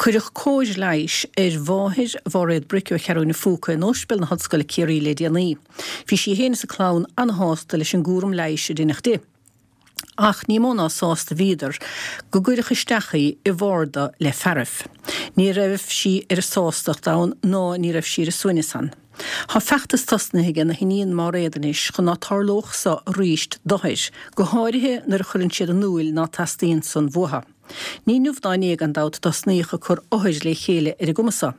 Cuireadh cóir leighis ar mháthair Mháiréad Bric ó Cheathrú na Phúca in Ospidéal na hOllscoile Ciarraí le déanaí. Bhí sí féin is a clann ana-shásta leis an gcúram leighis a deineadh di. Ach ní mó ná sásta bhíodar go gcuireadh isteach í i bharda le fearaibh. Ní raibh sí ar a sástacht ann ná ní raibh sí ar a suaimhneas ann. Tá feachtas tosnaithe aige na hiníon Máiréad anois chun ná tarlódh so aríst d'othair, go háirithe nuair a chuireann siad in úil ná teastaíonn san uathu. Ní inniu ná inné gan dabht a tosnaíodh ag cur othair le chéile ar an gcuma so.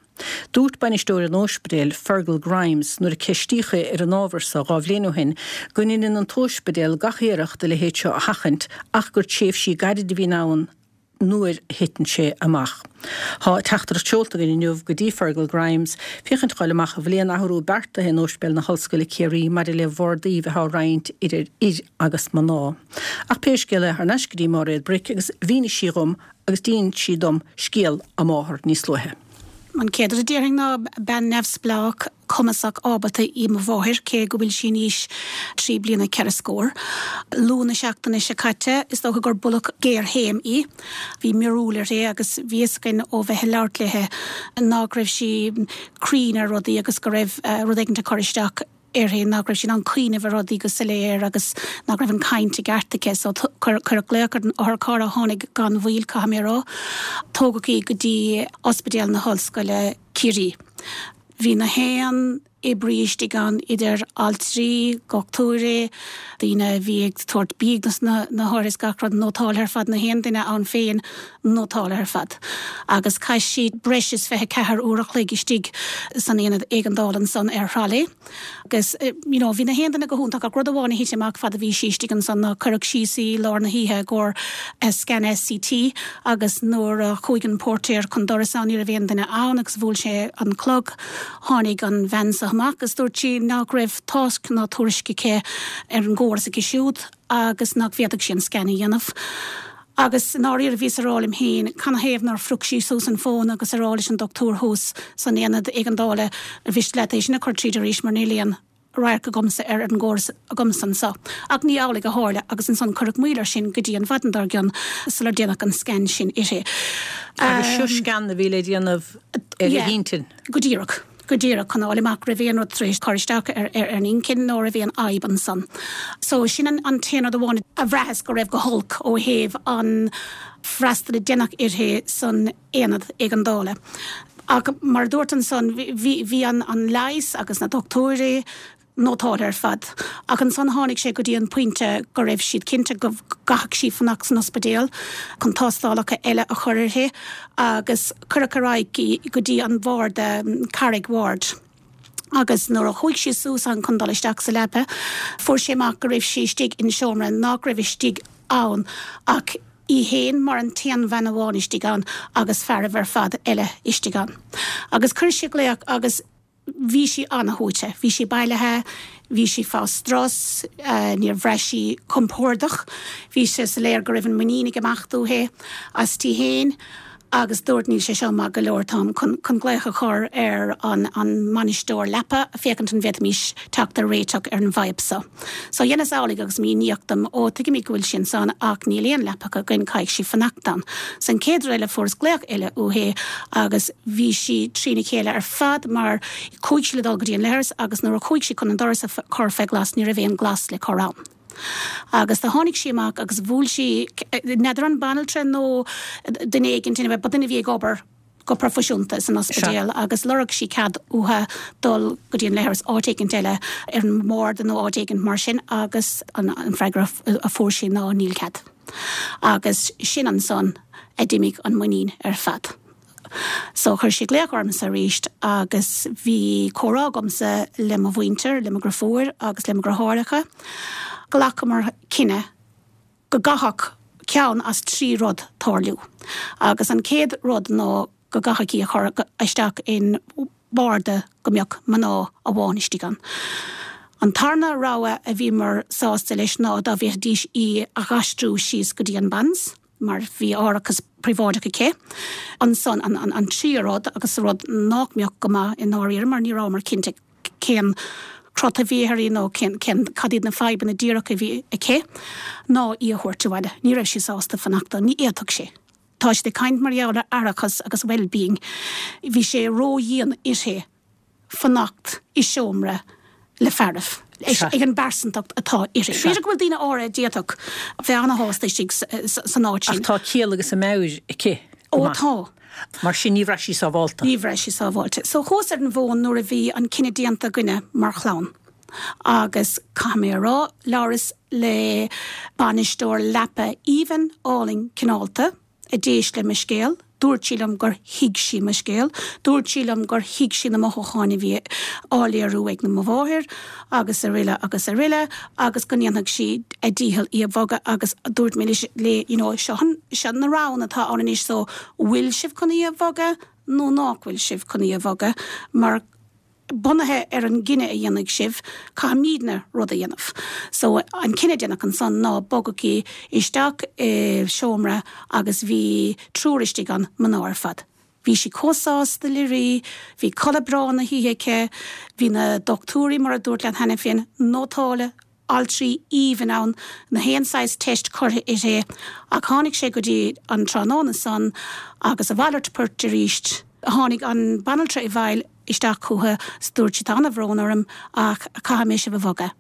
Dúirt bainisteoir an óispidéil, Fergal Grimes, nuair a ceistíodh é ar an ábhar so dá bhliain ó shin, go ndeineann an t-óispidéal gach iarracht a leithéid seo a sheachaint ach gur tréimhsí gairide a bhíonn ann nuair a thiteann sé amach. Tá teachtaireacht seolta againn inniu go dtí Fergal Grimes féachaint a fháil amach an bhfuil aon athrú beartaithe in Óispidéal na hOllscoile Ciarraí maidir le bhardaí bheith á roinnt idir fhir agus mná. Ach pé scéal é, thar n-ais go dtí Máiréad Bric agus mhínigh sí dhom agus d'inis sí dom scéal a máthar níos luaithe. An chéad rud a déarfainn ná bean neamhspleách, cumasach, ábalta í mo mháthair, cé go bhfuil sí in aois trí bliana ceithre scór. Luan na seachtaine seo caite, is dócha gur buaileadh géarchéim í. Bhí miorúil uirthi agus bhí fhios againn ó bheith ag labhairt léi nach raibh sí cruinn ar rudaí agus go raibh rud éigin ag cur isteach uirthi, nach raibh sí in ann cuimhneamh ar rudaí go soiléir agus nach raibh an caint i gceart aici. So cuireadh glaoch ar an otharcharr a tháinig gan mhoill, caithfidh mé a rá. Tógadh í go dtí Ospidéal na hOllscoile, Ciarraí. Bhí na haon oibrí istigh ann, idir altraí, dhochtúirí, daoine a bhí ag tabhairt bídh dos na hothair is gach rud, nótáltha ar fad, na haon duine ann féin nótáltha ar fad. Agus chaith sí breis is 24 uair a chloig istigh san aonad éigeandála ansan ar tralaí. Agus you know bhí na haon duine go hiontach ach rud amháin a thit amach fad a bhí sí istigh ansan ná cuireadh síos í i lár na hoíche i gcomhair scan CT agus nuair a chuaigh an póirtéir chun doras ann ní raibh aon duine ann agus bhuail sé an clog tháinig an bhean so amach agus dúirt sí nach raibh tásc ná tuairisc aici ar an gcóras aici siúd agus nach bhféadfadh sí an scan a dhéanamh. Agus i ndáiríre bhíos a rá liom féin, canathaobh nár phrioc sí suas an fón agus a rá leis an dochtúir thuas san aonad éigeandála, ar mhiste leat é sin a chur tríd arís mar níl aon radharc agamsa ar an gcóras agamsa anso. Ach ní amhlaidh a tharla agus ansan cuireadh moill air sin go dtí an mhaidin dár gcionn sular déanadh an scan sin uirthi. Agus seo scan a bhí le déanamh ar a hintinn. Go díreach. Go díreach, chun a fháil amach raibh aon rud tar éis cur isteach ar an inchinn nó raibh aon fhadhb ansan. So, sin an t-aon rud amháin a bhraitheas go raibh go holc ó thaobh an freastal a deineadh uirthi san aonad éigeandála. Ach mar a dúrt ansan, bhí an leigheas agus na dochtúirí, nótáltha ar fad. Ach ansan tháinig sé go dtí an pointe go raibh siad cinnte go gcaithfeadh sí fanacht san ospidéal chun tástálacha eile a chur uirthi agus cuireadh ar aghaidh í go dtí an bharda, Carraig Ward. Agus nuair a chuaigh sí suas ann chun dul isteach sa leapa, fuair sé amach go raibh sí istigh in seomra nach raibh istigh ann ach í fhéin mar an t-aon bhean amháin istigh ann agus fearaibh ar fad eile istigh ann. Agus chuir sí glaoch agus. Bhí sí ana-shuaite. Bhí sí bailithe, bhí sí fá strus, níor bhraith sí compordach. Bhí sé soiléir go raibh an muinín ag imeacht uaithi aisti fhéin agus dúirt níl sé seo maith go leor, táim chun glaoch a chur ar an mbainisteoir leapa féachaint an bhféadfaimis teacht ar réiteach ar an bhfadhb seo. So dheineas amhlaidh agus míníodh dom, ó tuigimid go bhfuil sí ansan ach níl aon leapacha againn, caithfidh sí fanacht ann. So an chéad rud eile fuaireas glaoch eile uaithi agus bhí sí trína chéile ar fad mar chuaigh sí le dul go dtí an leithreas agus nuair a chuaigh sí chun an doras a chur fé ghlas ní raibh aon ghlas le cur ann. Agus do tháinig sí amach agus bhuail sí, n'fheadar an banaltra nó duine éigin, anyway, ba duine a bhí ag obair, go proifisiúnta san ospidéal agus lorg sí cead uathu dul go dtí an leithreas áit éigint eile ar an mbarda nó áit éigint mar sin agus an freagra a fuair sí ná níl cead. Agus sin ansan a d'imigh an muinín ar fad. So chuir sí glaoch ormsa arís agus bhí comhrá agamsa le mo mhuintir, le mo dhriofúr agus le mo dhriotháireacha. Ghlacamar cinneadh go gcaithfeadh ceann as 3 rud tarlú. Agus an chéad rud ná go gcaithfeadh í a chur isteach in barda go mbeadh mná amháin istigh ann. An tarna rogha a bhíomar sásta leis ná dá bhféadfaidís í a dh'aistriú síos go dtí an Bands mar bhí árachas príobháideach aici. Ansan an tríú rud agus rud nách mbeadh go maith i ndáiríre mar ní rabhamar cinnte cén crot a bhí uirthi nó cén, cén, cad iad na fadhbanna díreach a bhí aici, ná í a thabhairt abhaile. Ní raibh sí sásta fanacht ann, ní fhéadfadh sí. Tá siad ag caint mar gheall ar aireachas agus well-being. Bhí sé ró-dhian uirthi fanacht i seomra le fearaibh, ag an bpearsantacht atá uirthi. B'fhéidir go bhfuil daoine áirithe a d'fhéadfadh bheith ana-shásta istigh san áit sin. Ach tá ciall agus a meabhair aici go maith. Ó tá. Mar sin ní bhraith sí sábhálta. Ní bhraith sí sábháilte. So chuas ar an bhfón nuair a bhí an cinneadh déanta againne mar chlann agus caithfidh mé a rá, labhras le bainisteoir leapa aoibhinn, álainn, cineálta, a d'éist le mo scéal. Dúirt sí liom gur thuig sí mo scéal. Dúirt sí liom gur thuig sí na mothúcháin a bhí á léiriú ag mo mháthair agus aroile agus aroile agus go ndéanfadh sí a dícheall í a bhogadh agus dúirt mé léi you know seo an, seo na roghanna atá ann anois so bhfuil sibh chun í a bhogadh nó nách bhfuil sibh chun í a bhogadh mar bunaithe ar an gcinneadh a dhéanfaidh sibh, caithfimídne rud a dhéanamh. So, an cinneadh a déanadh ansan ná bogadh í isteach i seomra agus bhí triúr istigh ann, mná ar fad. Bhí sí chomh sásta léi, bhí codladh breá na hoíche aici, bhí na dochtúirí, mar a dúrt leat cheana féin, nótáilte, altraí aoibhinn ann, na haon saghas teist curtha uirthi, ach tháinig sé go dtí an tráthnóna san agus a mhalairt poirt arís. Tháinig an banaltra i bhfeighil isteach chucu 's dúirt sí tá ana-bhrón orm ach caithfidh mé sibh a bhogadh.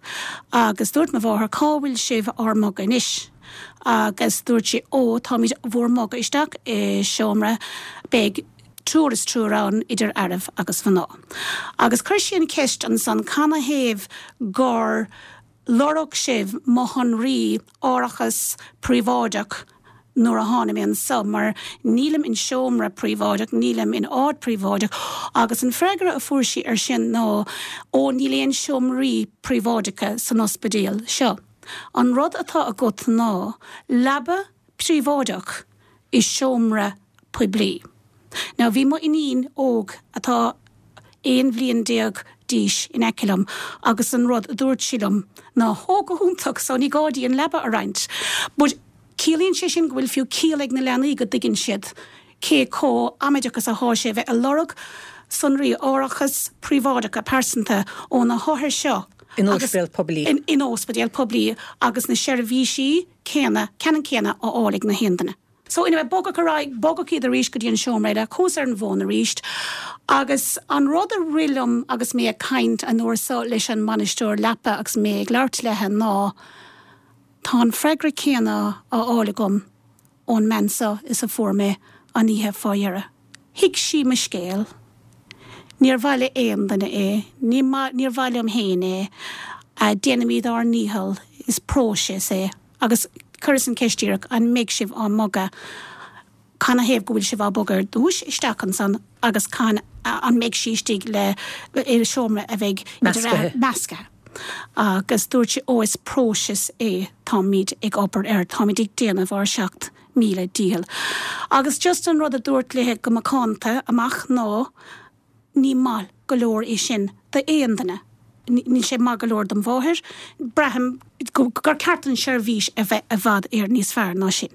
Agus dúirt mo mháthair cá bhfuil sibh ár mbogadh anois? Agus dúirt sí ó táimid bhúr mbogadh isteach i seomra beidh triúr is triúr ann idir fhearaibh agus mhná. Agus chuir sí an cheist ansan canathaobh gur lorg sibh mo shonraí árachas príobháideach nuair a tháinig mé anso mar nílim in seomra príobháideach, nílim in áit príobháideach agus an freagra a fuair sí ar sin ná ó níl aon seomraí príobháideacha san ospidéal seo. An rud atá agat ná leaba príobháideach i seomra poiblí. Now bhí mo iníon óg atá 11 bhliain d'aois in aice liom agus an rud a dúirt sí liom ná ó go hiontach so ní gá di an leaba a roinnt. But ciallaíonn sé sin go bhfuil fiú ciall ag na leanaí go dtuigeann siad cé chomh amaideach is athá sé a bheith ag lorg sonraí árachas príobháideacha pearsanta ó na hothair seo In ospidéal poiblí. In ospidéal poiblí agus na seirbhísí céanna, ceannann céanna á fháil ag na haon duine. So anyway, bogadh ar aghaidh, bogadh iad arís go dtí an seomra eile, chuas ar an bhfón arís agus an rud a rith liom agus mé ag caint an uair so leis an mbainisteoir leapa agus mé ag labhairt léithe ná tá an freagra céanna á fháil agam ón mbean so is a fuair mé an oíche fá dheireadh. Thuig sí mo scéal. Níor mhaith le aon duine é. Ní níor mhaith liom féin é. Déanaimid ár ndícheall. Is próiseas é. Agus chuireas an cheist díreach, an mbeidh sibh á mbogadh? Canathaobh go bhfuil sibh á bogadh ar dtúis isteach ansan agus can an mbeidh sí istigh le i seomra a bheidh Meascaithe. meascaithe. Agus dúirt sí, ó is próiseas é, táimid ag obair air, táimid ag déanamh ár 7000 dícheall. Agus just an rud a dúrt léithe go macánta amach ná, Ní maith go leor é sin d'aon duine. Níl sé maith go leor dom mháthair. Braithim gur ceart don seirbhís a bheith i bhfad Éireann níos fearr ná sin.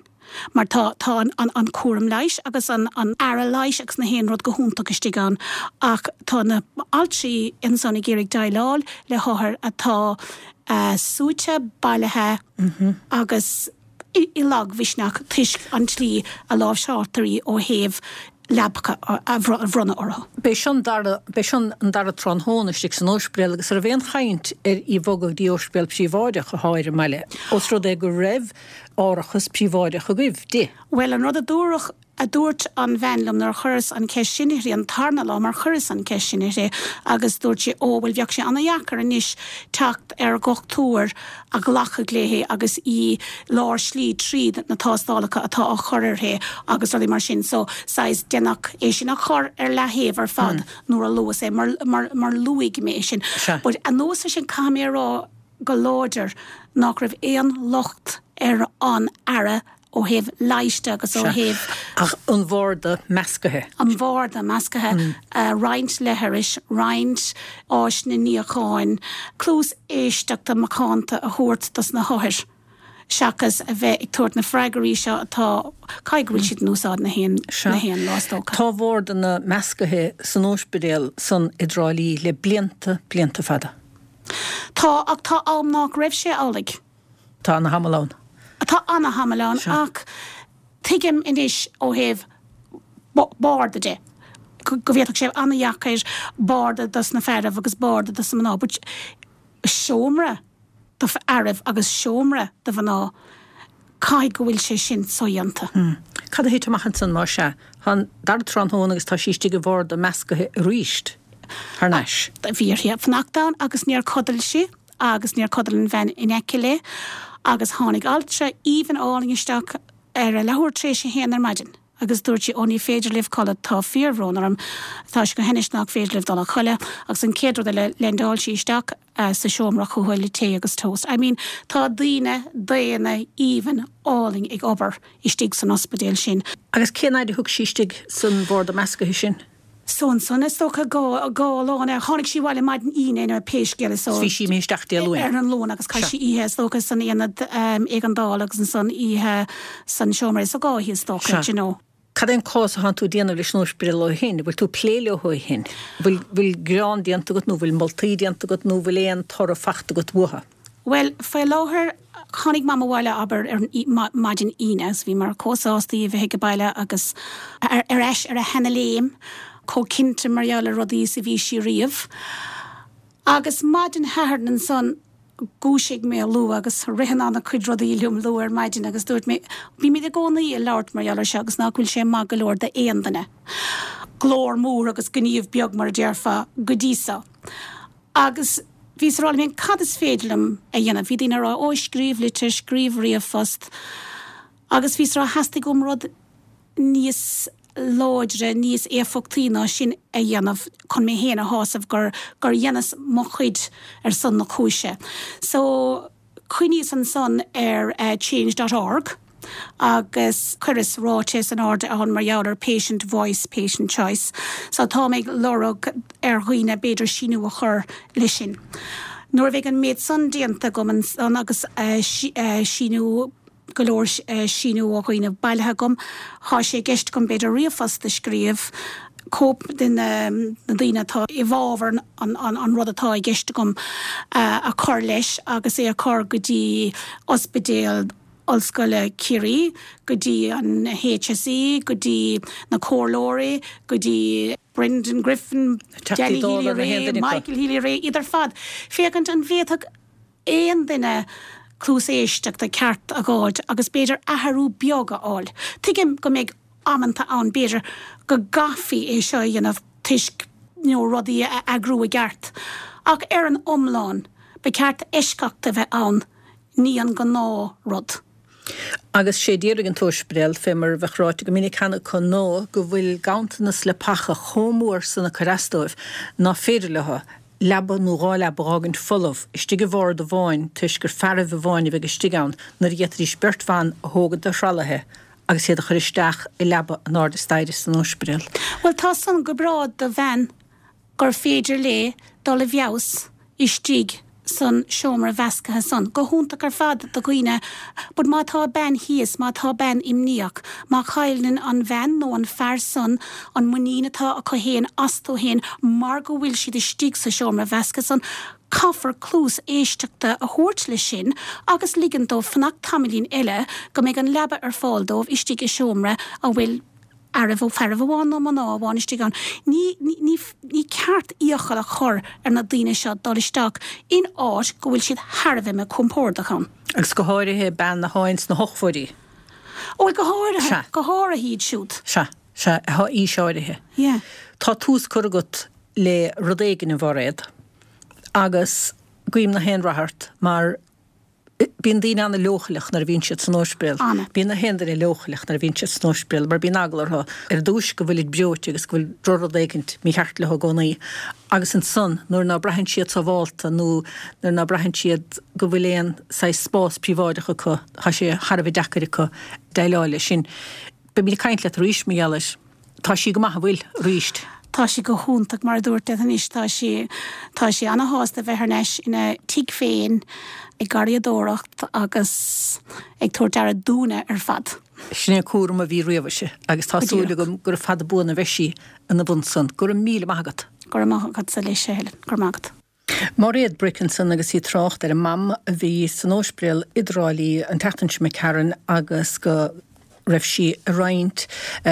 Mar tá tá an an cúram leighis agus an an aire leighis agus na haon rud go hiontach istigh ann ach tá na altraí ansan ag iarraidh déileáil le hothair atá suaite, bailithe agus i lagmhisneach toisc an tslí a láimhseáiltear í ó thaobh leapacha a bhronnadh orthu. B'é seo an dara, b'é seo an dara tráthnóna istigh san óispidéal agus an raibh aon chaint ar í a bhogadh go dtí óispidéal príobháideach atá ar an mbaile, os rud é go raibh árachas príobháideach agaibh di? Bhuel, an rud a dúradh, a dúirt an bhean liom nuair a chuireas an cheist sin uirthi an tarna lá, mar chuireas an cheist sin uirthi agus dúirt sí, ó, bhuel bheadh sé ana-dheacair anois teacht ar dhochtúir a ghlacfadh léi agus í lár slí tríd na tástálacha atá á chur uirthi agus rudaí mar sin. So, saghas, déanadh é sin a chur ar leathaobh ar fad nuair a luas é, mar, mar, mar luaigh mé é sin. But anuas ar sin, caithfidh mé a rá go láidir nach raibh aon locht ar an aire ó thaobh leighis de agus ó thaobh. Ach an bharda meascaithe. An bharda meascaithe, roinnt leithris, roinnt áiseanna níocháin, cluas éisteachta macánta a thabhairt dos na hothair seachas a bheith ag tabhairt na freagraí seo atá, caithfidh go bhfuil siad in úsáid na haon, na haon lá is dócha. Tá wardanna meascaithe san óispidéal san i dTrá Lí le blianta, blianta fada. Tá, ach tá am nách raibh sé amhlaidh. Tá ana-shamhail ann. Tá ana-shamhail ann ach. Tuigim anois ó thaobh barda de go bhféadfadh sé an-dheacair barda dos na fearaibh agus barda dos na mná but seomra do fhearaibh agus seomra do mhná, caithfidh go bhfuil sé sin sodhéanta. Cad a thit amach ansan más ea? Tá an dara tráthnóna agus tá sí istigh i bharda meascaithe aríst thar n-ais. Bhí uirthi fanacht ann agus níor chodail sí agus níor chodail an bhean in aice léi agus tháinig altra aoibhinn álainn isteach ar a leathuair tar éis a haon ar maidin agus dúirt sí, Ó ní féidir libh codladh, tá fíorbhrón orm, tá sé go hainnis nach féidir libh dul a chodladh agus an chéad rud eile leaindeáil sí isteach sa seomra chucu le tae agus toast. I mean tá daoine daonna aoibhinn álainn ag obair istigh san ospidéal sin. Agus cén fhaid a thug sí istigh san bharda meascaithe sin? So ansan is dócha go lá na, tháinig sí abhaile maidin Aoine nó pé scéal é so. Bhí sí imithe isteach Dé Luain. Ar an Luan agus chaith sí oíche is dócha san aonad éigeandála agus ansan oíche san seomra so 2 oíche is dócha, do you know. Cad é an cás atánn tú ag déanamh leis an ospidéal ó shin? Bhfuil tú ag plé leo ó shin? Bhfuil, bhfuil gearán déanta agat nó bhfuil moltaí déanta agat nó bhfuil aon toradh fachta agat uathu? Bhuel, faoi láthair, tháinig Mam abhaile, abair, ar an maidin Aoine agus bhíomar chomh sásta í a bheith ag baile agus ar ais ar a sheana-léim, chomh cinnte mar gheall ar rudaí is a bhí sí riamh. Agus maidin Shathairn ansan, dhúisigh mé luath agus ritheann an-chuid rudaí liom luath ar maidin agus dúirt mé, bímid i gcónaí ag labhairt mar gheall ar seo agus nach bhfuil sé maith go leor d'aon duine. Glór mór agus gníomh beag mar a déarfá go dtí so. Agus bhíos ag rá liom féin, cad is féidir liom a dhéanamh? Bhí daoine ag rá, ó, scríobh litir, scríobh ríomhphost. Agus bhíos ag rá, theastaigh uaim rud níos láidre, níos éifeachtaí ná sin a dhéanamh chun mé féin a shásamh gur, gur dheineas mo chuid ar son na cúise. So, Chuimhníos ansan ar Change dot org agus chuireas ráiteas in airde ann mar gheall ar Patient Voice, Patient Choice. So táim ag lorg ar dhaoine b'fhéidir síniú a chur leis sin. Nuair a bheidh an méid san déanta agam ansan agus síniú, go leor síniú ó dhaoine bailithe agam. Tá sé i gceist agam b'fhéidir ríomhphost a scríobh, cóip de na daoine atá i bhfabhar an rud atá i gceist agam a chur leis agus é a chur go dtí Ospidéal Ollscoile Ciarraí, go dtí an HSE, go dtí na comhairleoirí, go dtí Brendan Griffin, Danny Healy-Rae, Michael Healy-Rae, iad ar fad, féachaint an bhféadfadh aon duine cluas éisteachta ceart a dh'fháilt agus b'fhéidir athrú beag a fháil. Tuigim go mbeidh amanta ann b'fhéidir go gcaithfí é seo a dhéanamh toisc you know rudaí a eagrú i gceart ach ar an iomlán ba cheart eisceacht a bheith ann ní an gnáth rud. Agus sé déarfaidh an t-ospidéal, fé mar a bheadh ráite go minic cheana acu, ná go bhfuil ganntanas leapacha chomh mór san ag cur as dóibh ná féidir leo leaba nó 2 leaba a dh'fhágaint folamh istigh i bhard amháin toisc gur fearaibh amháin a bheidh istigh ann nuair a d'fhéadfaidís beirt bhan a thógaint de thralaithe agus iad a chur isteach i leaba in airde staighre san ospidéal. Bhuel tá san go breá do bhean gur féidir léi dul i bhfeabhas istigh san seomra mheascaithe san. Go hiontach ar fad do dhaoine but má tá bean thíos, má tá bean imníoch, má chailleann an bhean nó an fear san an muinín atá acu fhéin astu fhéin mar go bhfuil siad istigh sa seomra mheasctha san, caithfear cluas éisteachta a thabhairt le sin agus ligean dóibh fanacht tamaillín eile go mbeidh an leaba ar fáil dóibh istigh i seomra a bhfuil fhearaibh, fearaibh amháin nó mná amháin istigh ann. Ní, ní, ní ceart iachall a chur ar na daoine seo dul isteach in áit go bhfuil siad thar a bheith míchompordach ann. Agus go háirithe bean athá ins na hochmhóidí. Ó, go háirithe, Sea. go háirithe iad siúd. Sea, sea, athá aois áirithe. Yeah. Tá tús curtha agat le rud éigin, a Mhairéad, agus guím na haon rath ort mar Bíonn daoine an-leochaileach nuair a bhíonn siad san ospidéal. Bíonn na haon duine leochaileach nuair a bhíonn siad san ospidéal mar bíonn eagla orthu ar dtúis go bhfuilid breoite agus go bhfuil drochrud éicint mícheart leo i gcónaí agus ansan nuair ná braitheann siad sábhálta nó nuair ná braitheann siad go bhfuil aon saghas spás príobháideach acu tá sé thar a bheith deacair acu déileáil leis sin. Beimid ag caint leat arís mar gheall air. Tá sí go maith, an bhfuil, arís? Tá sí go hiontach, mar a dúirt tú anois, tá sí, tá sí ana-shásta bheith thar n-ais ina tigh féin ag garraíodóireacht agus ag tabhairt aire dúinne ar fad. Sin é an cúram a bhí riamh uirthi agus tá súil agam gura fada buan a bheidh sí ina bhun san. Go raibh míle maith agat. Go raibh maith agatsa leis, a Helen. Go raibh maith agat. Mairéad Bric ansan agus í ag trácht ar a mam a bhí san óispidéal i dTrá Lí an tseachtain seo imigh tharainn agus go. raibh sí ag roinnt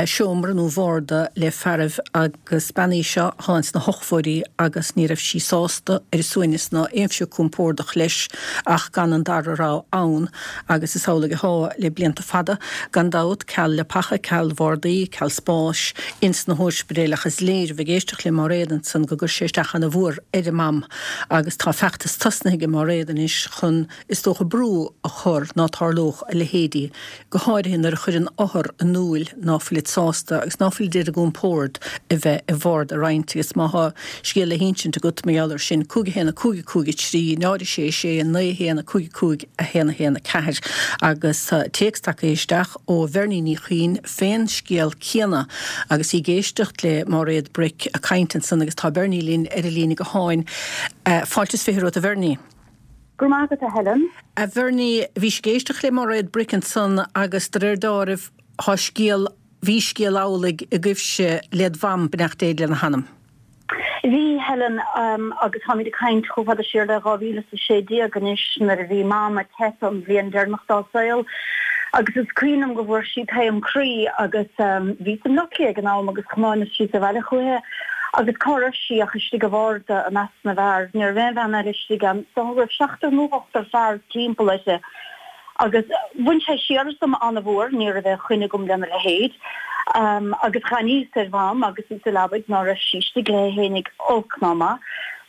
seomra nó bharda le fearaibh agus bean í seo athá ins na hochmhóidí agus ní raibh sí sásta ar a suaimhneas ná aon phioc compordach leis ach gan an dara rogha ann agus is amhlaidh athá le blianta fada gan dabht, ceal leapacha, ceal bhardaí, ceal spáis ins na hóispidéil ach is léir bheith ag éisteacht le Máiréad ansan go gcuir sé isteach ana mhór ar a mam agus tá feachtas tosnaithe ag Máiréad anois chun is dócha brú a chur ná tarlódh a leithéidí, go háirithe nuair a chuireann othar in iúil ná fuilid sásta agus ná fuilid ar a gcompord a bheith i bharda a roinnt. Agus má thá scéal le hinsint agat mar gheall air sin, 5 1 5 5 3 0 6 6 9 1 5 5 1 1 4 Agus tá téacs tagtha isteach ó Bhernie Ní Chuinn fén scéal céanna agus í ag éisteacht le Máiréad Bric ag caint ansan agus tá Bernie linn ar an líne gutháin. Fáilte is 20 romhat a Bhernie. Go raibh maith agat, a Helen. A Bhernie, bhís ag éisteacht le Máiréad Bric ansan agus de réir deáraimh thá scéal, bhí scéal amhlaidh agaibhse led mham, beannacht Dé lena hanam. Bhí, Helen, agus táimid ag caint chomh fada siar le 2016 anois nuair a bhí Mam ag teipeadh an bhliain deireanach dá saol agus is cuimhin liom go bhfuair sí taom croí agus bhíos i mBleá Cliath ag an am agus thiomáineas síos abhaile chúiche agus cá raibh sí ach istigh i bharda i measc na bhfear. Ní raibh aon bhean eile istigh ann. Is dócha go raibh seachtar nó ochtar fear timpeall uirthi. Agus bhain sé siar asam an-mhór, ní raibh aon choinne agam lena leithéid. Agus dh'aithníos ar Mham agus í sa leabaidh ná raibh sí istigh léi fhéinig olc ná maith.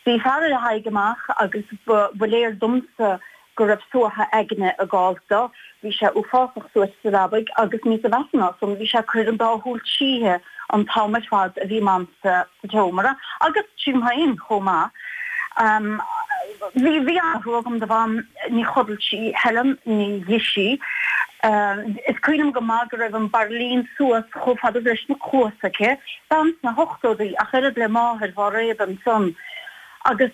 Bhí fear ar a haghaidh amach agus ba léir domsa go raibh suaitheadh aigne ag gabháilt do. Bhí sé uafásach suaite sa leabaidh agus níosa mheasa ná san, bhí sé ag cur an dá shúil tríthi an t-am ar fad a bhí Mam sa tseomra, agus tríom féin chomh maith. Bhí, bhí an-thrua agam do Mham, ní chodail sí, Helen, ní d'ith sí. Is cuimhin liom go maith go raibh an bairillín suas chomh fada leis na cluasa aici, bean sna hochtóidí, ach oiread le máthair Mháiréad ansan. Agus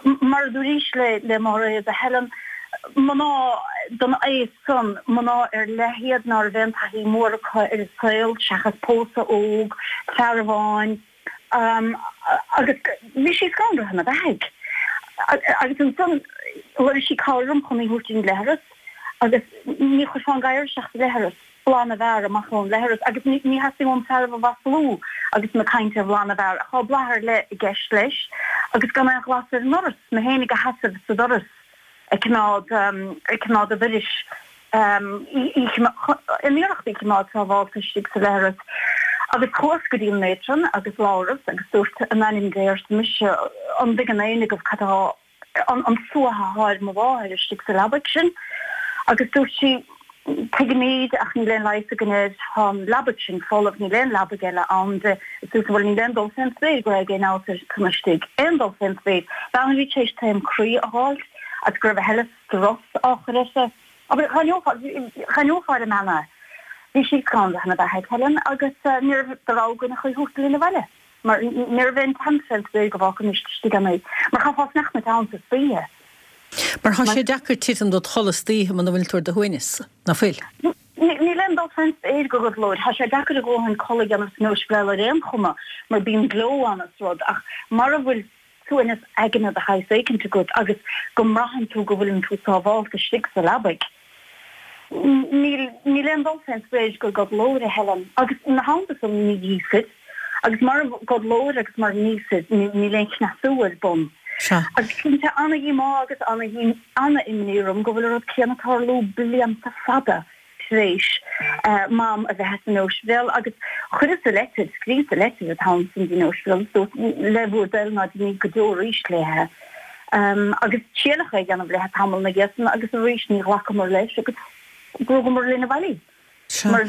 mar a dúraís le le Máiréad, a Helen, mná den aos san, mná ar leith iad ná raibh aon taithí mhór acu ar an saol seachas pósadh óg, fear amháin, agus bhí sí scanraithe ina beathaidh. Agus ansan lorg sí cabhair orm chun í thabhairt ón leithreas agus ní chuirfeá an gadhar isteach sa leithreas. bláth na bhfear amach ón leithreas agus ní theastaigh uaim fearaibh a mhaslú agus mé ag caint ar bhláth na bhfear ach tá bláth ar leith i gceist leis agus gan aon ghlas ar an ndoras, mé fhéinig a sheasamh sa doras ag coimeád ag coimeád an dorais in iarracht í choimeád sábhálta istigh sa leithreas. Agus chuas go dtí an matron agus labhras agus dúirt in ainm Dé arsa mise an dtuigeann éinne agaibh cad atá an suaitheadh athá ar mo mháthair istigh sa leabaidh sin agus dúirt sí, Tuigimíd ach níl aon leigheas againn air, tá an leabaidh sin folamh, níl aon leabaidh eile ann di. Is dúirt bhuel níl aon dul fén spéir go raibh aon fheabhas uirthi san istigh, aon dul fén spéir. Bean a bhí tar éis taom croí a dh'fháilt agus go raibh a thuilleadh strus á chur uirthi. Abair, dh'aithneofá ar an mbean é. Bhí sí scanraithe ina beathaidh, Helen, agus ní raibh de rogha againn ach í thabhairt linn abhaile. Mar ní raibh aon tseans fén spéir go bhfágfaimis istigh ann í. Mar chaithfeá sneachta ann sa oíche. Mar thá sé deacair titim dod chodladh istoíche muna bhfuil tú ar do shuaimhneas, ná fuil? Níl aon dul fén spéir go gcodlóir. Thá sé deacair a dhóthain codladh a dhéanamh san ospidéal ar aon chuma mar bíonn gleo ann is rud ach mara bhfuil suaimhneas aigne de shaghas éicint agat agus go mbraitheann tú go bhfuileann tú sábhálta istigh sa leabaidh. Níl, níl aon dul fén spéir go gcodlóir, a Helen. Agus ina theannta san, ní íosfaid. Agus mara gcodlóir agus mara n-íosfaid, níl aon chneasú ar bun. Sea. Agus cinnte, ana-dhíomá agus ana-imní orm go bhfuil an rud céanna ag tarlú blianta fada tar éis Mam a bheith as an ospidéal. Agus chuireas-sa leitir, scríobhas-sa leitir an t-am san dtí'n ospidéal agus dúrt, le bhur dtoil ná deiníg go deo arís léithe. Agus triaileadh é a dhéanamh léithe tamall ina dhiaidh san agus arís ní ghlacamar leis agus rugamar linn abhaile í. Sea. Mar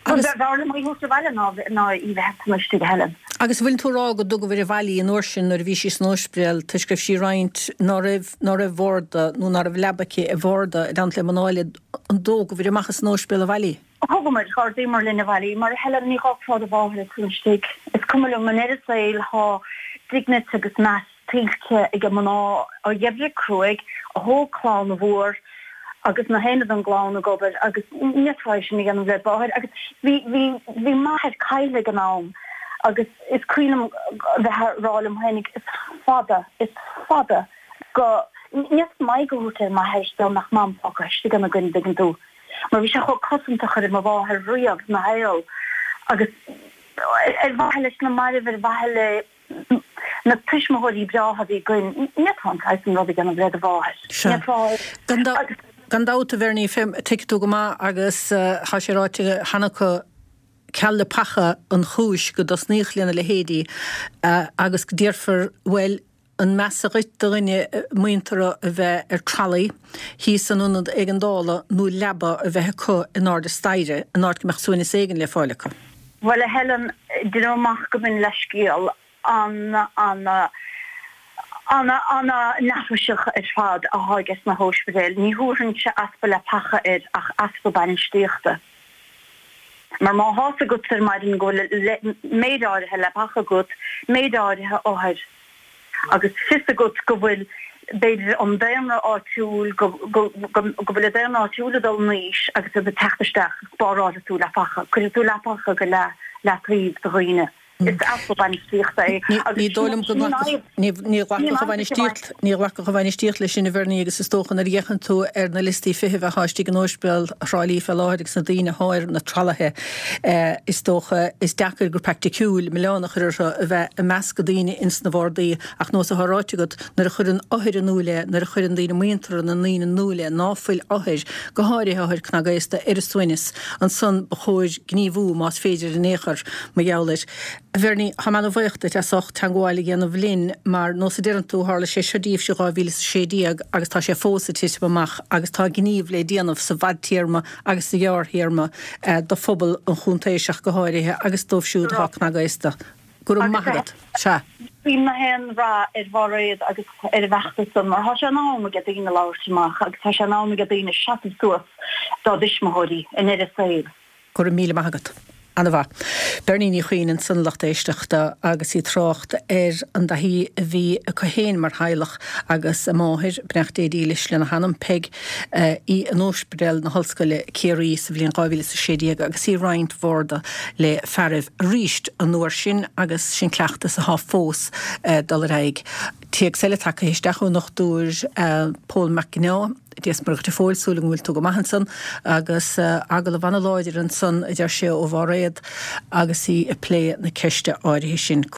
b'fhearr liom í a thabhairt abhaile ná í bheith ansan istigh, a Helen. Agus an bhfuil tú a rá go dtugabhair abhaile í an uair sin nuair a bhí sí san ospidéal toisc go raibh sí ag roinnt ná raibh ná raibh bharda nó ná raibh leaba aici i bharda i dteannta le mná eile an dtógabhair amach as an ospidéal abhaile í? Thugamar, d'ardaíomar linn abhaile í, mar a Helen, ní dh'fhágfá do mháthair ansan istigh. Is cuma liom, i ndeireadh an tsaoil thá dignity agus meas tuillte ag mná a dh'oibrigh cruaidh, a thóg clann mhór agus na haon den gclann ag obair agus ní fhéadfá é sin a dhéanamh led mháthair. Agus bhí, bhí, bhí m'athair caillte ag an am agus is cuimhin liom a bheith a' rá liom féinig is fada, is fada go, ní fhéadfainn m'aghaidh a thabhairt ar m'athair dá mbeadh Mam fágtha istigh ann againn, an dtuigeann tú. Mar bhí sé chomh cosantach ar mo mháthair riamh ina shaol agus ar mhaithe leis na mairbh, ar mhaithe le na tuismitheoirí breátha a bhí againn, ní fhéadfá an saghas san rud a dhéanamh le do mháthair. Ní fhéadfá. Agus. Gan dabht, a Bhernie, tuigfidh tú go maith agus tá sé ráite cheana acu, ceal leapacha an chúis go dtosnaíodh lena leithéidí agus déarfar, bhuel, an measa dhuit do dhuine muinteartha a bheith ar tralaí thíos san ionad éigeandála nó leaba a bheith acu in airde staighre in áit go mbeadh suaimhneas éigin le fáil acu? Bhuel, a Helen, deinim amach go mb'in leithscéal an-, an-an-an-neafaiseach ar fad athá ages na hóispidéil. Ní thabharfainnse easpa leapacha air ach easpa bainistíochta. Mar má thá's agat ar maidin go bhfuil méid áirithe leapacha agat, méid áirithe othair, agus fios agat go bhfuil, b'fhéidir, an daonra áitiúil, go bhfuil an daonra áitiúil ag dul in aois agus iad ag teacht isteach, spárálfaidh tú leapacha, cuirfidh tú leapacha go leataobh do dhaoine. Is easpa bainistíochta é agus Ní dóigh liom go nglacfadh, ní ghlacfadh an bhainistíocht, ní ghlacfadh an bhainistíocht leis sin, a Bhernie, agus is dócha nuair a fhéachann tú ar na liostaí feithimh athá istigh in Ospidéal Thrá Lí fé láthair agus na daoine athá ar na tralaithe, is dócha, is deacair go praiticiúil milleán a chur orthu a bheith ag meascadh daoine ins na bhardaí ach nós athá ráite agat, nuair a chuireann othair in iúl é, nuair a chuireann daoine muinteartha na ndaoine in iúl é ná fuil othair, go háirithe othair cnagaosta, ar a suaimhneas, ansan ba chóir gníomhú más féidir in aon chor. Mar gheall air. A Bhernie, tá mé ana-bhuíoch duit as ucht teangmháil a dhéanamh linn mar, nós a deireann tú, tharla sé seo daoibhse 2016 agus tá sé fós ag titim amach agus tá gníomh le déanamh sa bhfadtéarma agus sa ghearrthéarma do phobal an chontae seo go háirithe agus dóibh siúd atá cnagaosta. Go raibh maith agat. Sea. Guím na haon rath ar Mhairéad agus ar a bhfeachtas san mar tá sé in am ag daoine labhairt amach agus tá sé in am ag daoine seasamh suas dá dtuismitheoirí i ndeireadh a saoil. Go raibh míle maith agat. Ana-mhaith. Bernie Ní Chuinn ansan a lucht éisteachta agus í ag trácht ar an dtaithí a bhí acu féin mar theaghlach agus a máthair, beannacht Dé dílis lena hanam, Peig, í in Ospidéal na hOllscoile Ciarraí sa bhliain 2016 agus í ag roinnt bharda le fearaibh arís an uair sin agus sin cleachtas athá fós ag dul ar aghaidh. Téacs eile tagtha isteach ón nDochtúir Pól Mac Ginneá. Dia is Muire dhuit a Phóil, súil agam go bhfuil tú go maith ansan agus agallamh ana-láidir ansan, a deir sé, ó Mháiréad agus í ag plé na ceiste áirithe sin.